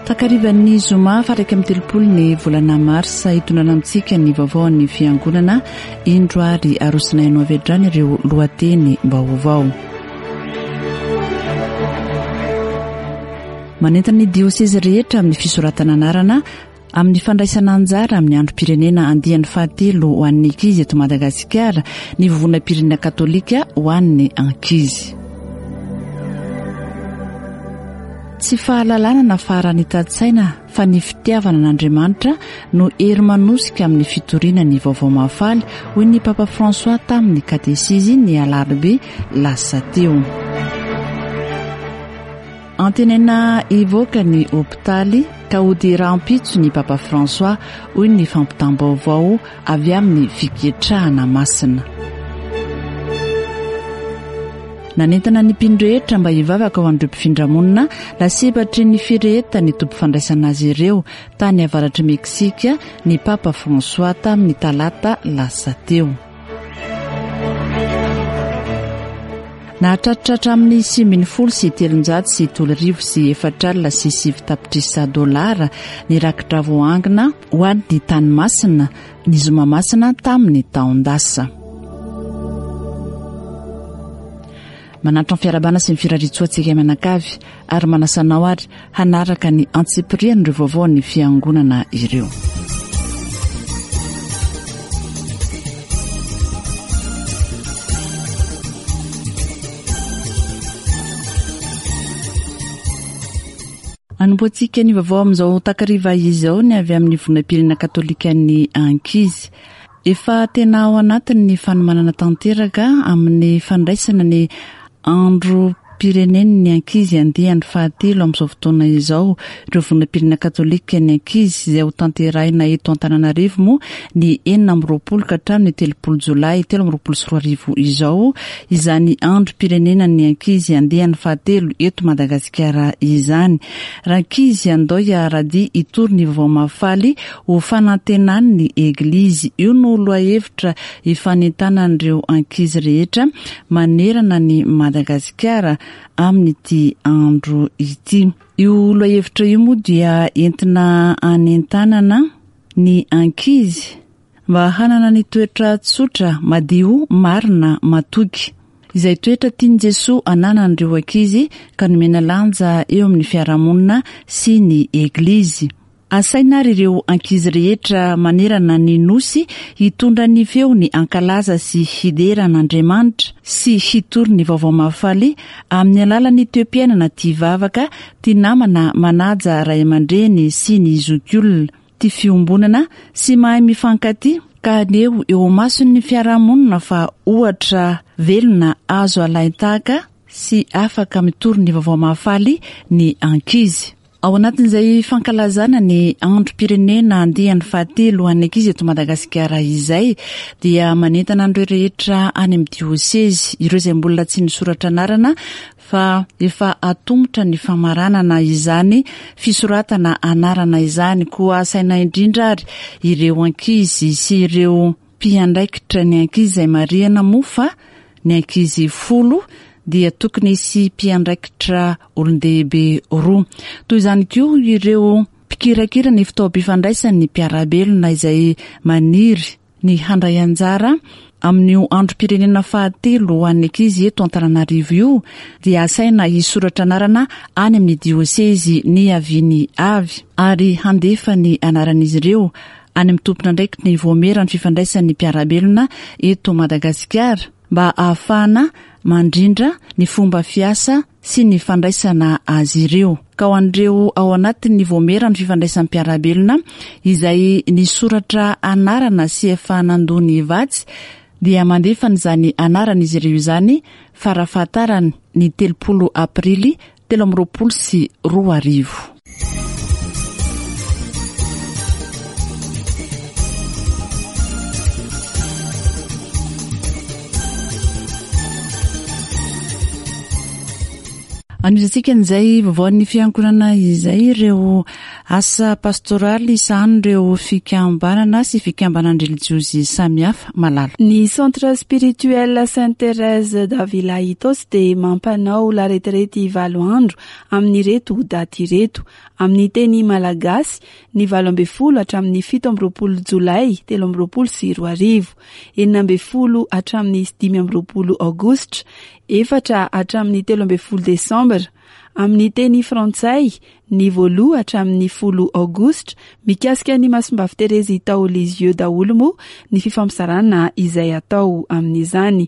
Takarivan'ny zoma faha 31 ny volana marsa hitondrana amintsika ny vaovaon'ny fiangonana indro ary arosonay anao avy hatrany ireo lohateny vaovao. Manentana ny diosezy rehetra amin'ny fisoratana anarana Amin'ny fandraisana anjara amin'ny androm-pirenena andiany fahatelo ho an'ny ankizy eto Madagasikara ny Vovonam-pirenena Katolika ho an'ny ankizy. Tsy fahalalana na faharanitan-tsaina fa ny fitiavana an'Andriamanitra no hery manosika amin'ny fitoriana ny Vaovao Mahafaly, hoy ny Papa François tamin'ny katesizy ny alarobia lasa teo. Antenaina hivoaka ny hopitaly ka hody rahampitso ny Papa François, hoy ny fampitam-baovao avy amin'ny Fiketrahana Masina. Nanentana ny mpino rehetra mba hivavaka ho an'ireo mpifindra-monina lasibatry ny firehetan'ny toby fandraisana azy ireo tany avaratr'i Meksika ny Papa François tamin'ny talata lasa teo. Nahatratra hatramin'ny 319 409 tapitrisa dolara ny rakitra voaangona ho an'ny tany masina ny zoma masina tamin'ny taon-dasa. Manantitra ny fiarahabana sy ny firariantsoa antsika mianakavy ary manasa anao ary hanaraka ny antsipirian'ireo vaovaon'ny fiangonana ireo. Anombohantsika ny vaovao amin'izao takariva izao ny avy amin'ny vonam-pirenena katolikan'ny ankizy. Efa tena ao anatin'ny fanomanana tanteraka amin'ny fandraisana ny androm-pirenen'ny ankizy andiany fahatelo amin'izao fotoana izao ireo vondrom-pirenena katolika ny ankizy izay ho tanterahina eto Antananarivo moa ny 26 ka hatramin'ny 30 jolay 2023 izao izany androm-pirenenan'ny ankizy andiany fahatelo eto Madagasikara izany. Rankizy andao hiara-dia hitory ny vaovao mahafaly Ho fanantenan'ny Eglizy. Io no lohahevitra ifanentanan'ireo ankizy rehetra manerana an'i Madagasikara amin'ity andro ity. Io lohahevitra io moa dia entina hanentanana ny ankizy mba hanana ny toetra tsotra, madio, marina, matoky. Izay toetra tian'i Jesoa hananan'ireo ankizy ka nomena lanja eo amin'ny fiarahamonina sy ny Eglizy. Asaina ary ireo ankizy rehetra manerana ny Nosy hitondra ny feony hankalaza sy hidera an'Andriamanitra sy hitory ny Vaovao Mahafaly amin'ny alalan'ny toe-piainana tia vavaka, tia namana, manaja ray aman-dreny sy ny zokiolona, tia fiombonana sy mahay mifankatia, ka haneho eo imason'ny fiarahamonina fa ohatra velona azo alain-tahaka sy afaka mitory ny Vaovao Mahafaly ny ankizy. Ao anatin'izay fankalazana ny androm-pirenena andiany fahatelo ho an'ny ankizy eto Madagasikara izay dia manentana an'ireo rehetra any amin'ny diosezy, ireo izay mbola tsy nisoratra anarana fa efa atomotra ny famaranana izany fisoratana anarana izany. Koa asaina indrindra ary ireo ankizy sy ireo mpiandraikitra ny ankizy izay marihana moa fa ny ankizy folo dia tokony hisy mpiandraikitra olon-dehibe roa. Toy izany koa ireo mpikirakira ny fitaovam-pifandraisan'ny mpiara-belona izay maniry ny handray anjara amin'io androm-pirenena fahatelo ho an'ny ankizy eto Antananarivo io dia asaina hisoratra anarana any amin'ny diosezy niaviany avy ary handefa ny anaran'izy ireo any amin'ny tompon'andraikitry ny Vaomieran'ny fifandraisan'ny mpiara-belona eto Madagasikara mba hahafahana mandrindra ny fomba fiasa sy ny fandraisana azy ireo. Ka ho an'ireo ao anatin'ny Vaomieran'ny fifandraisan'ny mpiara-belona izay nisoratra anarana sy efa nandoa ny vatsy dia mandefa an'izany anaran'izy ireo izany farafahatarany ny 30 aprily 2023. Anohizantsika an'izay vaovaon'ny fiangonana izay ireo asa pastoraly sahanin'ireo fikambanana sy fikambanan-drelijiozy samihafa. Malala. Ny Centre Spirituel Sainte Thérèse d'Avila Itaosy dia mampanao laretirety valo andro amin'ireto daty ireto. Amin'ny teny malagasy, ny 18 hatramin'ny 27 jolay 2023, 16 hatramin'ny 25 aogositra, efatra hatramin'ny 13 desambra. Amin'ny teny frantsay, ny voaloha hatramin'ny folo aogositra, mikasika ny Masimbavy Terezy tao Lisieux daholo moa ny fifampizarana izay atao amin'izany.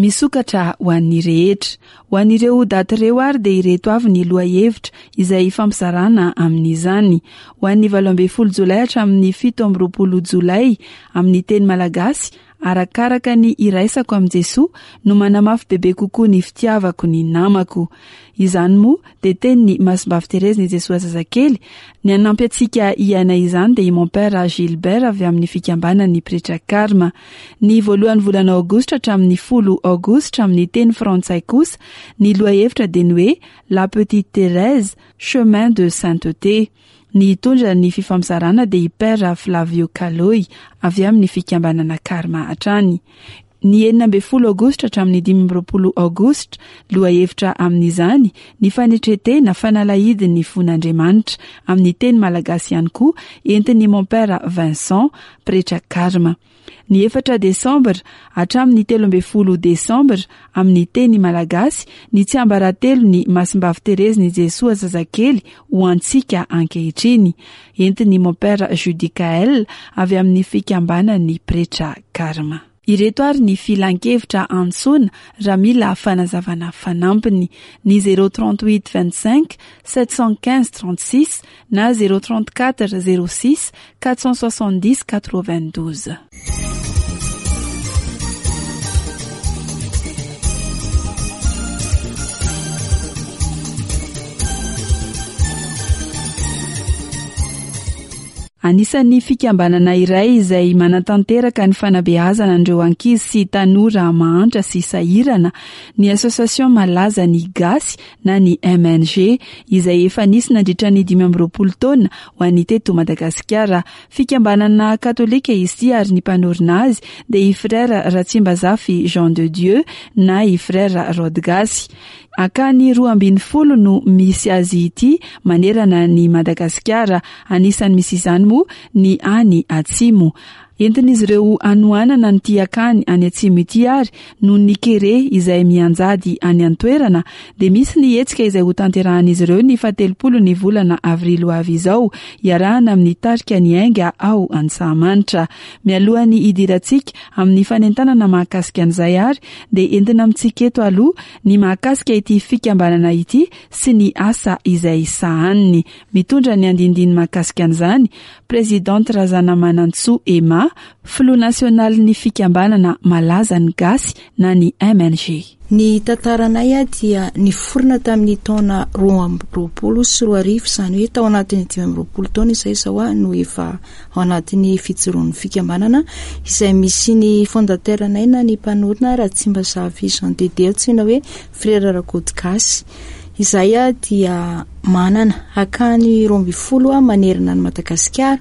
Misokatra ho an'ny rehetra. Ho an'ireo daty ireo ary dia ireto avy ny lohahevitra izay hifampizarana amin'izany. Ho an'ny 18 jolay hatramin'ny 27 jolay, amin'ny teny malagasy, Arakaraka ny iraisako amin'i Jesoa no manamafy bebe kokoa ny fitiavako ny namako. Izany moa dia tenin'i Masimbavy Thérèse-n'i Jesoa Zazakely. Ny hanampy antsika hiaina izany dia i Mon Père Gilbert avy amin'ny fikambanan'ny Pretra Karma. Ny voalohan'ny volana aogositra hatramin'ny folo aogositra amin'ny teny frantsay kosa, ny lohahevitra dia ny hoe La Petite Thérèse, chemin de sainteté. Ny hitondra ny fifampizarana dia i Père Flavio Caloy avy amin'ny fikambanana Karma hatrany. Ny 16 aogositra hatramin'ny 25 aogositra, lohahevitra amin'izany ny fanetren-tena fanalahidin'ny fon'Andriamanitra, amin'ny teny malagasy ihany koa, entin'i Mon Père Vincent, pretra Karma. Ny efatra desambra hatramin'ny 13 desambra, amin'ny teny malagasy, ny tsiambaratelon'i Masimbavy Terezin'i Jesoa Zazakely ho antsika ankehitriny, entin'i Mompera Judicaël avy amin'ny fikambanan'ny pretra Karma. Ireto ary ny filankevitra antsoina raha mila fanazavana fanampiny, ny 038 25 715 36 na 034 06 470 92. Anisan'ny fikambanana iray izay manatanteraka ny fanabeazana an'ireo ankizy sy tanora mahantra sy sahirana ny Association Malaza ny Gasy na ny MNG, izay efa nisy nandritra ny 25 taona ho an'ny teto Madagasikara. Fikambanana katolika izy ity ary ny mpanorina azy dia i Frère Ratsimbazafy Jean de Dieu na i Frère Rodgasy. Akany 12 no misy azy ity manerana an'i Madagasikara, anisan'ny misy izany moa ny any Atsimo. Entin'izy ireo hanohanana an'ity akany any Atsimo ity ary noho ny kere izay mianjady any an-toerana dia misy ny hetsika izay hotanterahan'izy ireo ny fahatelopolo ny volana avrily ho avy izao hiarahana amin'ny tarika Ny Ainga ao Antsahamanitra. Mialohan'ny hidirantsika amin'ny fanentanana mahakasika an'izay ary dia entina amintsika eto aloha ny mahakasika ity fikambanana ity sy ny asa izay sahaniny. Mitondra ny andinindiny mahakasika an'izany, Presidente Razanamanantsoa Emma, filoha nasionalin'ny fikambanana Malaza ny Gasy na ny MNG. Ny tantaranay dia niforona tamin'ny taona 2022, izany hoe tao anatin'ny 25 taona izay izao no efa ao anatin'ny fijoroan'ny fikambanana, izay misy ny fondateur anay na ny mpanorina Ratsimbazafy Jean de Dieu antsoina hoe Frera Rakoto Gasy. Izahay dia manana akany 12 manerana an'i Madagasikara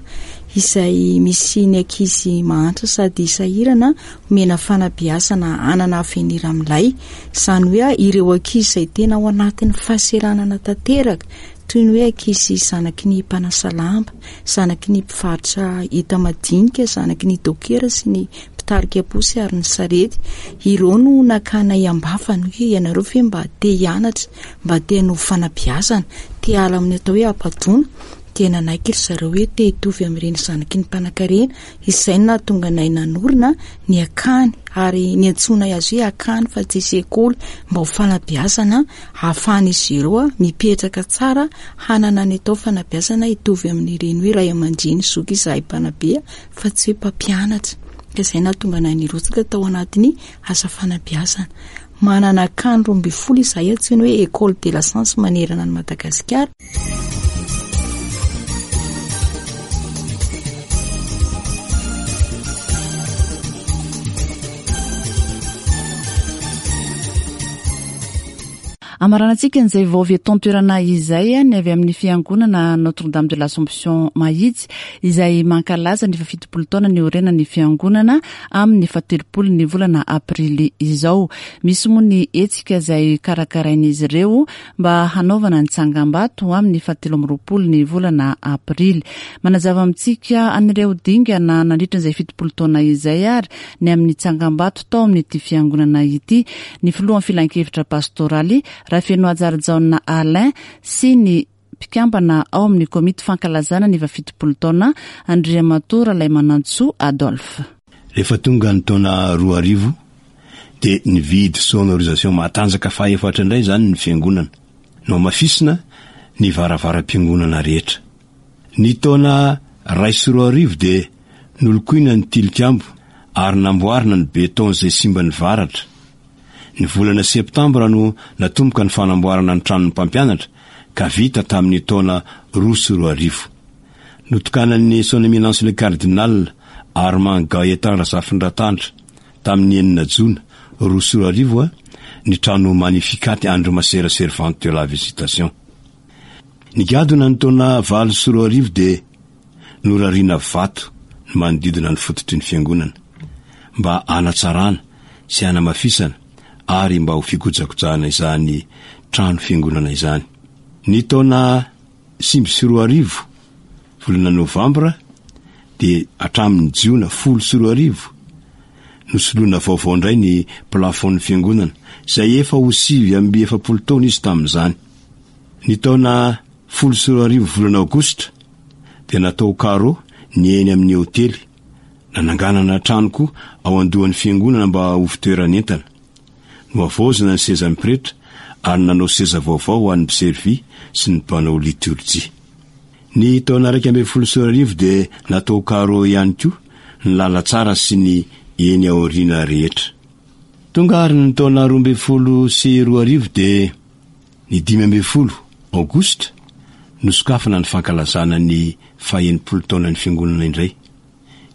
izay misy ny ankizy mahantra sady sahirana omena fanabeazana hanana avenir milay. Izany hoe ireo ankizy izay tena ao anatin'ny fahaseranana tanteraka toy ny hoe ankizy zanaky ny mpanasa lamba, zanaky ny mpivarotra enta-madinika, zanaky ny dokera sy ny mpitarika posy ary ny sarety. Ireo no nakanay am-bavany hoe ianareo ve mba te hianatra, mba te hanovo fanabeazana, te hiala amin'ny atao hoe habadoana? Dia nanaiky ry zareo hoe te hitovy amin'ireny zanaky ny mpanankarena. Izay no nahatonga anay nanorina ny akany ary niantsoanay azy hoe akany fa tsy sekoly mba ho fanabeazana ahafahan'izy ireo mipetraka tsara hanana ny atao fanabeazana hitovy amin'ireny hoe ray aman-dreny zoky izahay mpanabe fa tsy hoe mpampianatra. Ka izay nahatonga anay nirotsaka tao anatin'ny asa fanabeazana. Manana akany 12 izahay antsoina hoe École de la Science manerana an'i Madagasikara. Amaranantsika an'izay vao avy eto an-toerana izay ny avy amin'ny fiangonana Notre Dame de l'Assomption Mahitsy izay mankalaza ny faha-70 taona niorenan'ny fiangonana amin'ny fahatelopolo ny volana aprily izao. Misy moa ny hetsika izay karakarain'izy ireo mba hanaovana ny tsangambato amin'ny fahatelo amby 20 ny volana aprily. Manazava amintsika an'ireo dingana nandritra izay 70 taona izay ary ny amin'ny tsangambato tao amin'ity fiangonana ity ny filohan'ny filankevitra pastoraly Rafenohajarijaona Alain sy ny mpikambana ao amin'ny komity fankalazana ny faha-70 taona Andriamatoa Ralaimanantsoa Adolphe. Rehefa tonga ny taona 2000 dia nividy sonorisation matanjaka fahaefatra indray izany ny fiangonana. Nohamafisina ny varavaram-piangonana rehetra. Ny taona 2001 dia nolokoina ny tilikambo ary namboarina ny béton izay simban'ny varatra. Ny volana septambra no natomboka ny fanamboarana ny tranon'ny mpampianatra ka vita tamin'ny taona 2002. Notokanan'ny Son Eminence le Cardinal Armand Gaëtan Razafindratandra tamin'ny enina jona 2002 ny trano Magnificat Andry Masera Servante de la Visitation. Nigadona ny taona 2008 dia norariana vato ny manodidina ny fototry ny fiangonana mba hanatsarana sy hanamafisana ary mba ho fikojakojana izany trano fiangonana izany. Ny taona 2009, volana novambra dia hatramin'ny jiona 2010, nosoloina vaovao indray ny plafond-n'ny fiangonana izay efa ho 49 taona izy tamin'izany. Ny taona 2010 volana aogositra dia natao carreau ny eny amin'ny hotely, nananganana trano koa ao andohan'ny fiangonana mba ho fitoeran'entana. Nohavaozina ny sezan'ny pretra ary nanao seza vaovao ho an'ny mpiservy sy ny mpanao litorjia. Ny taona 2011 dia natao carreau ihany koa ny lalantsara sy ny eny aoriana rehetra. Tonga ary ny taona 2012 dia ny 15 aogositra nosokafana ny fankalazana ny faha-60 taonan'ny fiangonana indray.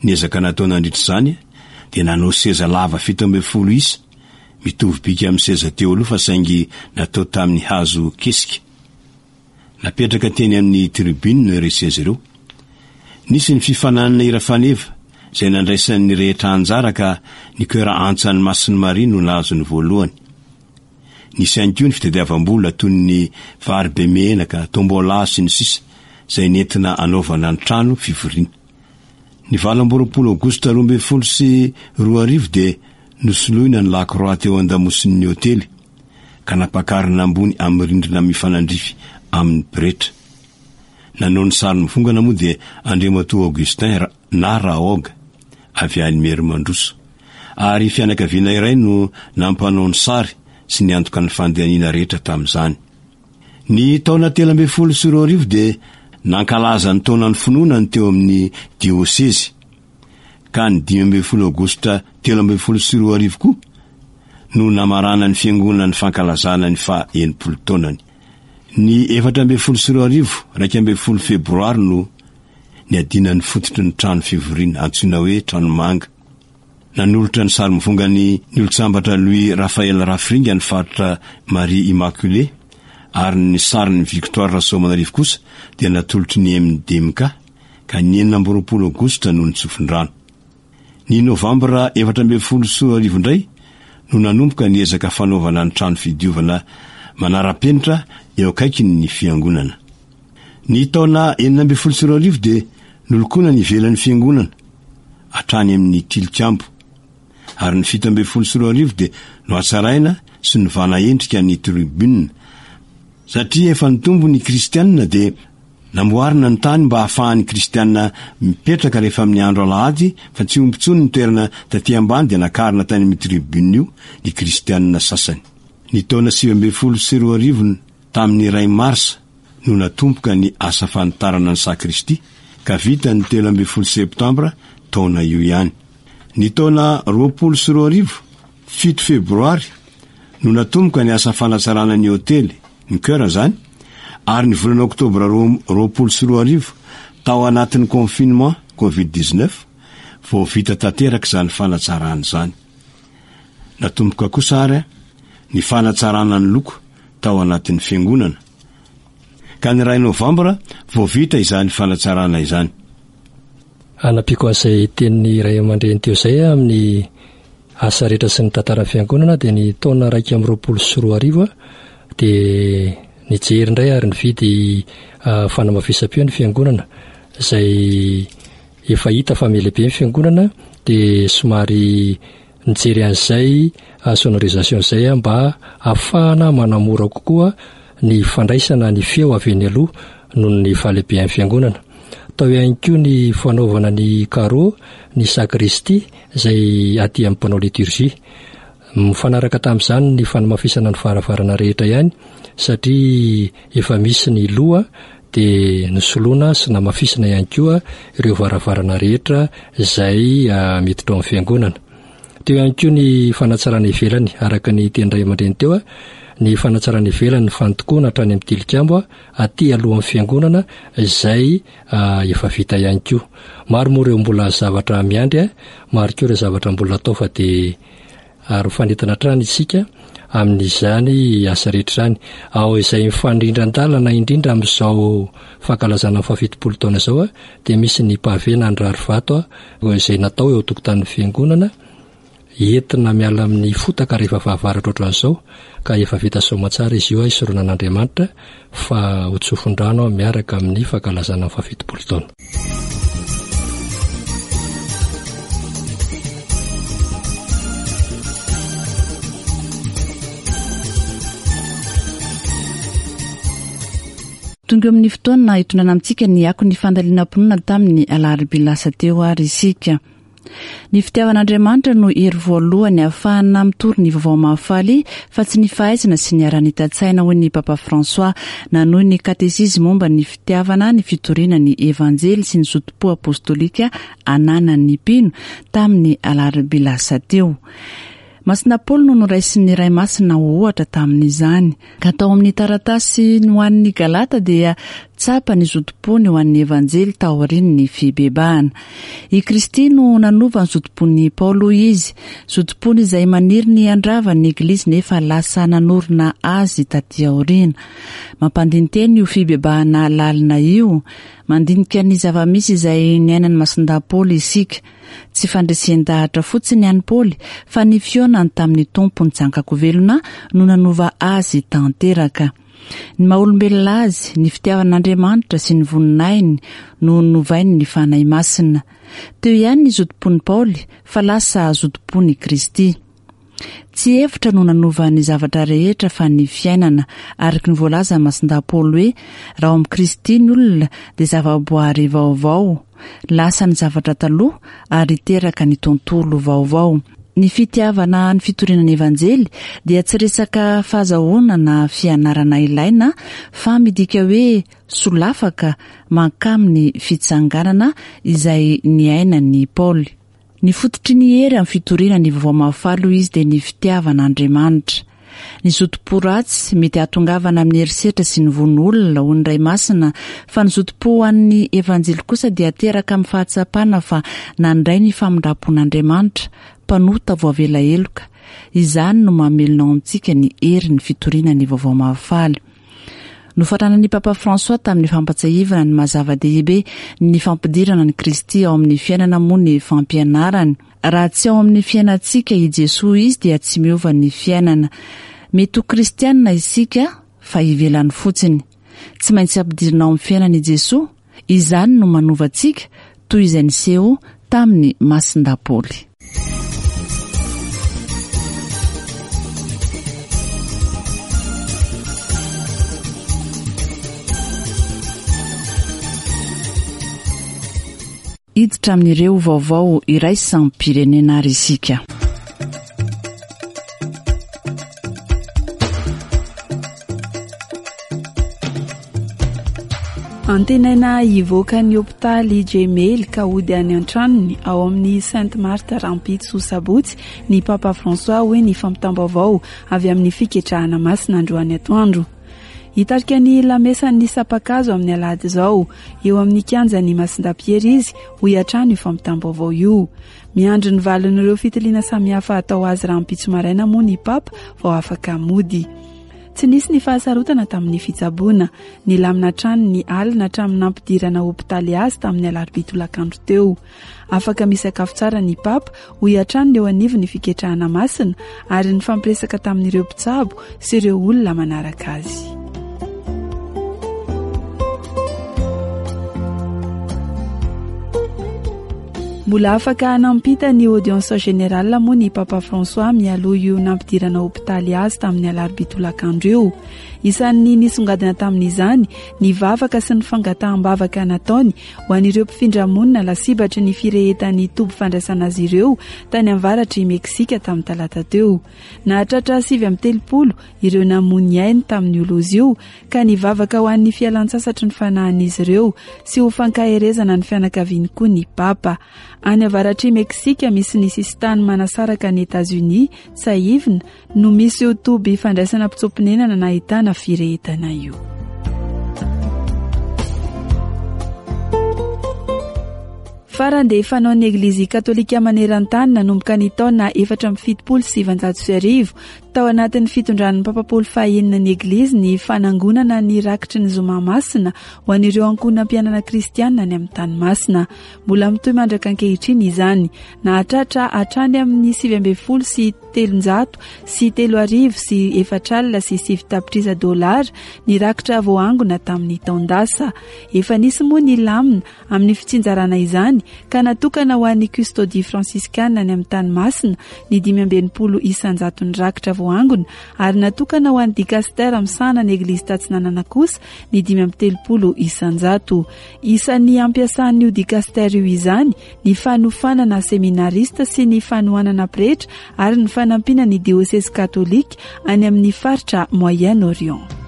Ny ezaka natao nandritra izany dia nanao seza lava 17 isa, mitovy bika amin'ny seza teo aloha fa saingy natao tamin'ny hazo kesika. Napetraka teny amin'ny tribune ireo seza ireo. Nisy ny fifaninanana hira faneva izay nandraisan'ny rehetra anjara ka ny chœur Antsan'ny Masin'i Maria no nahazo ny voalohany. Nisy ihany koa ny fitadiavam-bola toy ny vary be menaka, tombola sy ny sisa izay nentina hanaovana ny trano fivoriana. Ny 28 aogositra 2012 dia nosoloina ny lakroa teo an-damosin'ny hotely ka nampakarina ambony amin'ny rindrina mifanandrify amin'ny pretra. Nanao ny sary mivongana moa dia Andriamatoa Augustin na Raog avy any Merimandroso. Ary fianakaviana iray no nampanao ny sary sy niantoka ny fandehaniana rehetra tamin'izany. Ny taona 2013 dia nankalaza ny taonan'ny finoana ny teo amin'ny diosezy, ka ny 15 aogositra 2013 koa no namaranan'ny fiangonana ny fankalazana ny faha 60 taonany. Ny 2014, 11 febroary no niadiana ny fototry ny trano fivoriana antsoina hoe Tranomanga. Nanolotra ny sary mivongany ny olon-tsambatra Louis Raphaël Rafiringa ny faritra Marie Immaculée ary ny sarin'i Victoire Rasoamanarivo kosa dia natolotry ny MDMK ka ny 26 aogositra no nitsofin-drano. Ny novambra 2014 indray no nanomboka ny ezaka fanaovana ny trano fidiovana manara-penitra eo akaikin'ny fiangonana. Ny taona 2016 dia nolokoina ny ivelan'ny fiangonana hatrany amin'ny tilikambo ary ny 2017 dia nohatsaraina sy novana endrika ny tribune. Satria efa nitombo ny kristianina dia namboarina ny tany mba hahafahan'ny kristianina mipetraka rehefa amin'ny andro alahady fa tsy omby intsony ny toerana taty ambany dia nakarina tany amin'ny tribune io ny kristianina sasany. Ny taona 2019 tamin'ny iray marsa no natomboka ny asa fanitarana ny sakristia ka vita ny 13 septambra taona io ihany. Ny taona 2020, 7 febroary, no natomboka ny asa fanatsarana ny hotely, ny chœur izany, ary ny volana oktobra 2020, tao anatin'ny confinement covid 19, vao vita tanteraka izany fanatsarana izany. Natomboka kosa ary ny fanatsarana ny loko. tao anatin'ny fiangonana. Ka ny iray novambra vao vita izany fanatsarana izany. Hanampiako an'izay tenin'ny ray aman-dreny teo izay amin'ny asa rehetra sy ny tantaran'ny fiangonana dia ny taona 2021 dia nijery indray ary nividy fanamafisam-peo ny fiangonana izay efa hita fa mihalehibe ny fiangonana dia somary Nijery an'izay sonorisation izay aho mba hahafahana manamora kokoa ny fandraisana ny feo avy eny aloha noho ny fahalehibean'ny fiangonana. Tao ihany koa ny fanaovana ny carreau ny sacristie izay aty amin'ny mpanao liturgie. Mifanaraka tamin'izany ny fanamafisana ny varavarana rehetra ihany satria efa misy ny loha dia nosoloana sy namafisina ihany koa ireo varavarana rehetra izay miditra ao amin'ny fiangonana. Teo ihany koa ny fanatsarana ivelany, araka ny teny ray aman-dreny teo, ny fanatsarana ivelany ny fandokoana hatrany amin'ny tilikambo aty alohan'ny fiangonana izay efa vita ihany koa. Maro moa ireo mbola zavatra miandry, maro koa ireo zavatra mbola atao fa dia ary mifanentana hatrany isika amin'izany asa rehetra izany. Ao izay mifanindran-dalana indrindra amin'izao fankalazana ny fahafitopolo taona izao dia misy ny pavé na ny rarivato izay natao eo an-tokotanin'ny fiangonana entina miala amin'ny fotaka rehefa fahavaratra ohatran'izao ka efa vita soamantsara izy io hisoronan'Andriamanitra fa ho tsofin-drano miaraka amin'ny fankalazana ny fahafitopolo taona. Tonga eo amin'ny fotoana hitondrana amintsika ny akon'ny fandalinam-pinoana tamin'ny alarobia lasa teo ary isika. Ny fitiavan'Andriamanitra no hery voalohany ahafahana mitory ny Vaovao Mahafaly fa tsy ny fahaizana sy ny haranitan-tsaina hoy ny Papa François nanohy ny katesizy momba ny fitiavana, ny fitoriana ny Evanjely sy ny zotom-po apostolika ananan'ny mpino tamin'ny alarobia lasa teo. Masina Paoly no noraisin'ny Ray Masina ho ohatra tamin'izany. Ka tao amin'ny taratasy ho an'ny Galata dia tsapa ny zotom-pony ho an'ny Evanjely taorian'ny fibebahana. I Kristy no nanova ny zotom-pon'i Paoly hoy izy, zotom-pony izay maniry ny handrava ny Eglizy nefa lasa nanorina azy taty aoriana. Mampandini-tena io fibebahana lalina io. Mandinika ny zava-misy izay niainan'i Masindahy Paoly isika. Tsy fandresen-dahatra fotsiny an'i Paoly fa ny fihaonany tamin'ny Tompo nitsangan-kovelona no nanova azy tanteraka. Ny maha olombelona azy, ny fitiavan'Andriamanitra sy ny voninahiny no novain'ny Fanahy Masina. Teo ihany ny zotom-pon'i Paoly fa lasa zotom-pon'i Kristy. Tsy hevitra no nanova ny zavatra rehetra fa ny fiainana, araka ny voalazan'i Masindahy Paoly hoe, raha ao amin'i Kristy ny olona dia zavaboary vaovao, lasa ny zavatra taloha ary teraka ny tontolo vaovao. Ny fitiavana ny fitoriana ny Evanjely dia tsy resaka fahazahoana na fianarana ilaina fa midika hoe solafaka mankamin'ny fitsanganana izay niainan'i Paoly. Ny fototry ny hery amin'ny fitoriana ny Vaovao Mahafaly hoy izy dia ny fitiavana Andriamanitra. Ny zotom-po ratsy mety hahatongavana amin'ny herisetra sy ny vono olona hoy ny Ray Masina fa ny zotom-po ho an'ny Evanjely kosa dia teraka amin'ny fahatsapana fa nandray ny famindram-pon'Andriamanitra, mpanota voavela heloka. Izany no mamelona ao amintsika ny herin'ny fitoriana ny Vaovao Mahafaly. Nofaranan'ny Papa François tamin'ny fampatsiahivana ny maha zava-dehibe ny fampidirana an'i Kristy ao amin'ny fiainana moa ny fampianarany. Raha tsy ao amin'ny fiainantsika i Jesoa Izy dia tsy miova ny fiainana. Mety ho kristianina isika fa ivelany fotsiny. Tsy maintsy ampidirina ao amin'ny fiainana i Jesoa, izany no manova antsika toy izay niseho tamin'i Masindahy Paoly. Hiditra amin'ireo vaovao iraisam-pirenena ary isika. Antenaina hivoaka ny hopitaly Gemelli ka hody any an-tranony ao amin'ny Sainte Marthe rahampitso sabotsy ny Papa François hoy ny fampitam-baovao avy amin'ny fiketrahana masina androany atoandro. Hitarika ny lamesan'ny sampan-kazo amin'ny alahady izao eo amin'ny kianjan'ny Masindahy Piera izy hoy hatrany io fampitam-baovao io. Miandry ny valin'ireo fitiliana samihafa hatao azy rahampitso maraina moa ny Papa vao afaka mody. Tsy nisy ny fahasarotana tamin'ny fitsaboana. Nilamina hatrany ny alina hatramin'ny nampidirana hopitaly azy tamin'ny alarobia tolakandro teo. Afaka misakafo tsara ny Papa, hoy hatrany ny eo anivon'ny Fiketrahana Masina, ary nifampiresaka tamin'ireo mpitsabo sy ireo olona manaraka azy. Mbola afaka nampita ny audience générale moa ny Papa François mialoha io nampidirana hopitaly azy tamin'ny alarobia tolakandro io. Isan'ny nisongadina tamin'izany ny vavaka sy ny fangataham-bavaka nataony ho an'ireo mpifindra monina lasibatry ny firehetan'ny toby fandraisana azy ireo tany avaratr'i Meksika tamin'ny talata teo. Nahatratra 39 ireo namoy ny ainy tamin'io loza io ka nivavaka ho an'ny fialantsasatry ny fanahin'izy ireo sy ho fankaherezana ny fianakaviany koa ny Papa. Any avaratr'i Meksika misy ny sisintany manasaraka an'i Etazonia, tsiahivina, no misy io toby fandraisana mpitsoa-ponenana nahitana firehetana io. Farany dia fanaon'ny Eglizy Katolika maneran-tany nanomboka ny taona 1974 tao anatin'ny fitondran'ny Papa Paoly fahenina ny Eglizy ny fanangonana ny rakitry ny Zoma Masina ho an'ireo ankohonam-piainana kristianina any amin'ny tany masina. Mbola mitohy mandraka ankehitriny izany. Nahatratra hatrany amin'ny 3319 tapitrisa dolara ny rakitra voaangona tamin'ny taon-dasa. Efa nisy moa ny lamina amin'ny fitsinjarana izany ka natokana ho an'ny Custodie Franciscana any amin'ny tany masina ny 65 isan-jaton'ny rakitra voaangona ary natokana ho an'ny Dicastère misahana ny Eglizy Tatsinanana kosa ny 35 isan-jato. Isan'ny ampiasan'io Dicastère io izany ny fanofanana seminarista sy ny fanohanana pretra ary ny fanampiana ny diosezy katolika any amin'ny faritra Moyen-Orient.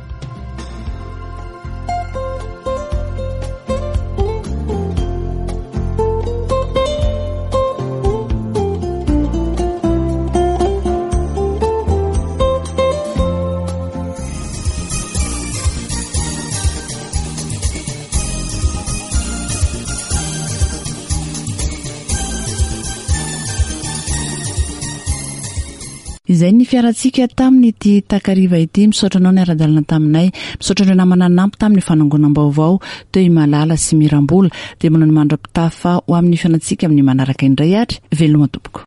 Izay ny fiarantsika tamin'ity takariva ity. Misaotra anao niara-dalana taminay. Misaotra ireo namana nanampy tamin'ny fanangonam-baovao teo i Malala sy Mirambola. Dia manao ny mandra-pitafa ho amin'ny fihaonantsika amin'ny manaraka indray ary veloma tompoko.